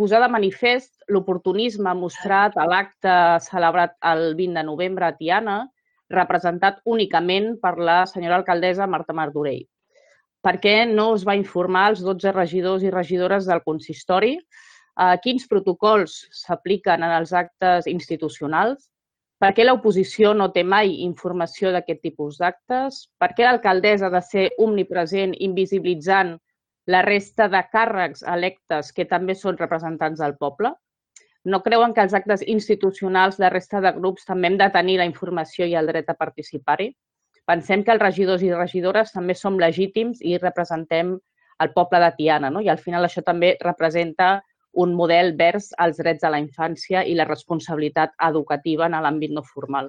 posar de manifest l'oportunisme mostrat a l'acte celebrat el 20 de novembre a Tiana, representat únicament per la senyora alcaldessa Marta Martorell. Per què no es va informar als 12 regidors i regidores del consistori? Quins protocols s'apliquen en els actes institucionals? Per què l'oposició no té mai informació d'aquest tipus d'actes? Per què l'alcaldessa ha de ser omnipresent, invisibilitzant la resta de càrrecs electes que també són representants del poble? No creuen que els actes institucionals de resta de grups també hem de tenir la informació i el dret a participar-hi? Pensem que els regidors i regidores també som legítims i representem el poble de Tiana, no? I al final això també representa un model vers als drets de la infància i la responsabilitat educativa en l'àmbit no formal.